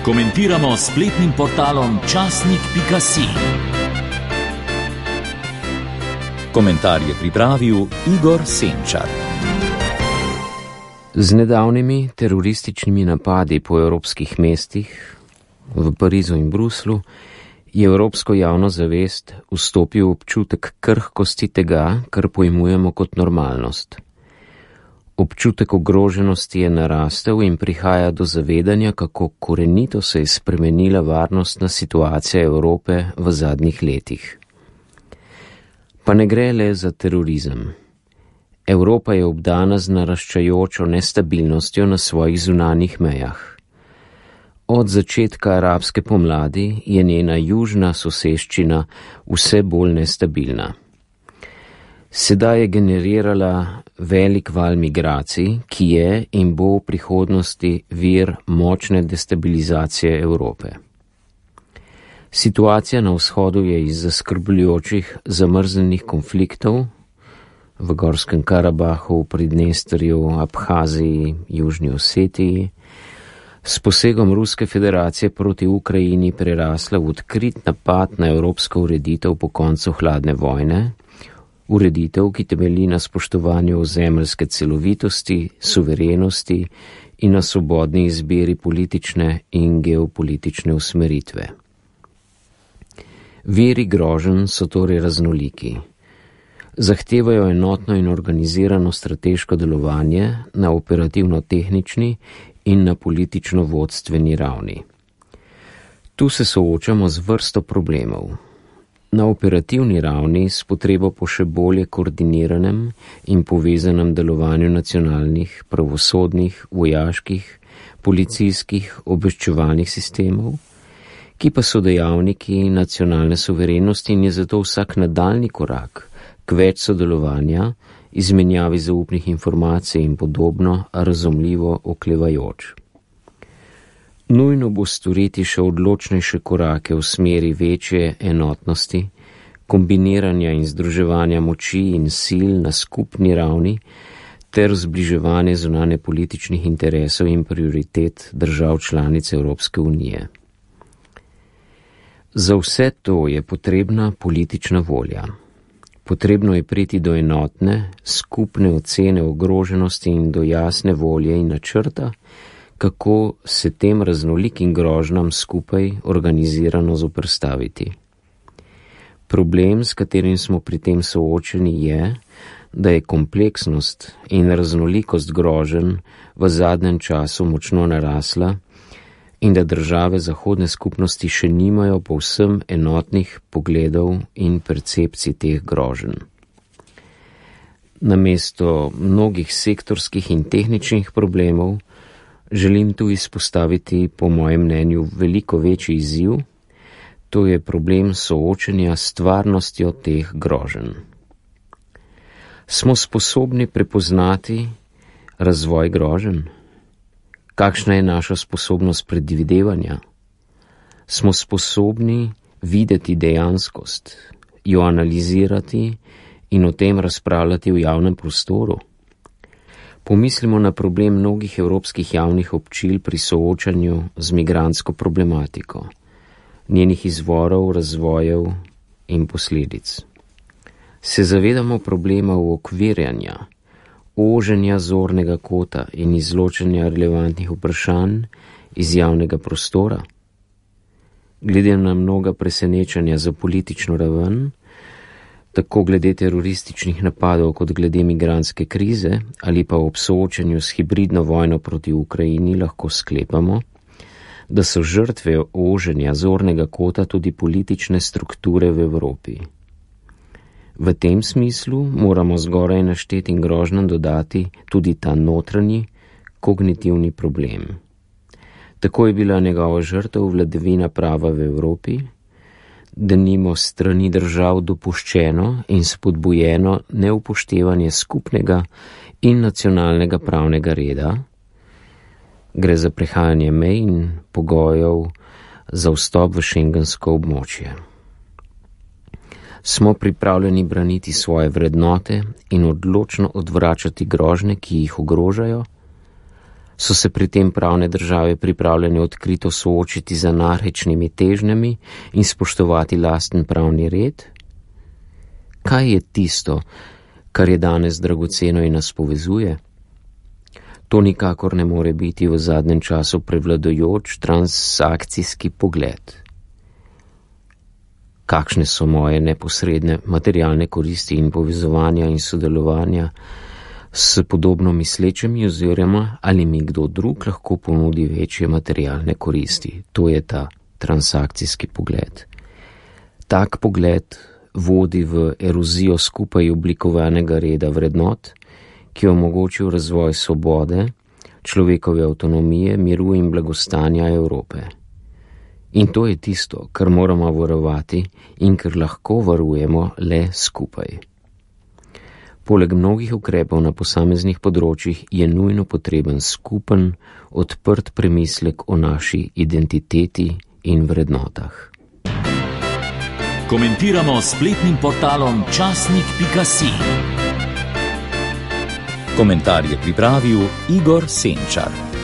Komentiramo s spletnim portalom časnik.si. Komentar je pripravil Igor Senčar. Z nedavnimi terorističnimi napadi po evropskih mestih, v Parizu in Bruslu, je evropsko javno zavest vstopil občutek krhkosti tega, kar pojmujemo kot normalnost. Občutek ogroženosti je narastel in prihaja do zavedanja, kako korenito se je spremenila varnostna situacija Evrope v zadnjih letih. Pa ne gre le za terorizem. Evropa je obdana z naraščajočo nestabilnostjo na svojih zunanjih mejah. Od začetka arabske pomladi je njena južna soseščina vse bolj nestabilna. Sedaj je generirala velik val migracij, ki je in bo v prihodnosti vir močne destabilizacije Evrope. Situacija na vzhodu je iz zaskrbljujočih zamrznjenih konfliktov v Gorskem Karabahu, Pridnestrju, Abhaziji, Južni Osetiji, s posegom Ruske federacije proti Ukrajini prerasla v odkrit napad na evropsko ureditev po koncu hladne vojne, ureditev, ki temelji na spoštovanju ozemeljske celovitosti, suverenosti in na svobodni izbiri politične in geopolitične usmeritve. Viri groženj so torej raznoliki. Zahtevajo enotno in organizirano strateško delovanje na operativno-tehnični in na politično-vodstveni ravni. Tu se soočamo z vrsto problemov. Na operativni ravni s potrebo po še bolje koordiniranem in povezanem delovanju nacionalnih, pravosodnih, vojaških, policijskih, obveščevalnih sistemov, ki pa so dejavniki nacionalne suverenosti in je zato vsak nadaljnji korak k več sodelovanja, izmenjavi zaupnih informacij in podobno razumljivo oklevajoč. Nujno bo storiti še odločnejše korake v smeri večje enotnosti, kombiniranja in združevanja moči in sil na skupni ravni ter zbliževanje zunanje političnih interesov in prioritet držav članic Evropske unije. Za vse to je potrebna politična volja. Potrebno je priti do enotne, skupne ocene ogroženosti in do jasne volje in načrta, kako se tem raznolikim grožnjam skupaj organizirano zoperstaviti. Problem, s katerim smo pri tem soočeni, je, da je kompleksnost in raznolikost groženj v zadnjem času močno narasla in da države zahodne skupnosti še nimajo povsem enotnih pogledov in percepcij teh groženj. Namesto mnogih sektorskih in tehničnih problemov želim tu izpostaviti, po mojem mnenju, veliko večji izziv, to je problem soočenja s stvarnostjo teh groženj. Smo sposobni prepoznati razvoj groženj? Kakšna je naša sposobnost predvidevanja? Smo sposobni videti dejanskost, jo analizirati in o tem razpravljati v javnem prostoru? Pomislimo na problem mnogih evropskih javnih občil pri soočanju z migrantsko problematiko, njenih izvorov, razvojev in posledic. Se zavedamo problema uokvirjanja, oženja zornega kota in izločanja relevantnih vprašanj iz javnega prostora? Glede na mnoga presenečanja za politično raven, tako glede terorističnih napadov kot glede migrantske krize ali pa ob soočanju s hibridno vojno proti Ukrajini, lahko sklepamo, da so žrtve oženja zornega kota tudi politične strukture v Evropi. V tem smislu moramo zgoraj naštetim grožnjam dodati tudi ta notranji, kognitivni problem. Tako je bila njegova žrtev vladavina prava v Evropi, denimo strani držav dopuščeno in spodbujeno neupoštevanje skupnega in nacionalnega pravnega reda, gre za prehajanje mej in pogojev za vstop v šengensko območje. Smo pripravljeni braniti svoje vrednote in odločno odvračati grožnje, ki jih ogrožajo? So se pri tem pravne države pripravljene odkrito soočiti z anarhičnimi težnjami in spoštovati lasten pravni red? Kaj je tisto, kar je danes dragoceno in nas povezuje? To nikakor ne more biti v zadnjem času prevladujoč transakcijski pogled. Kakšne so moje neposredne materialne koristi in povezovanja in sodelovanja s podobno mislečimi oziroma ali mi kdo drug lahko ponudi večje materialne koristi. To je ta transakcijski pogled. Tak pogled vodi v erozijo skupaj oblikovanega reda vrednot, ki je omogočil razvoj svobode, človekove avtonomije, miru in blagostanja Evrope. In to je tisto, kar moramo varovati in kar lahko varujemo le skupaj. Poleg mnogih ukrepov na posameznih področjih je nujno potreben skupen, odprt premislek o naši identiteti in vrednotah. Komentiramo s spletnim portalom časnik.si. Komentar je pripravil Igor Senčar.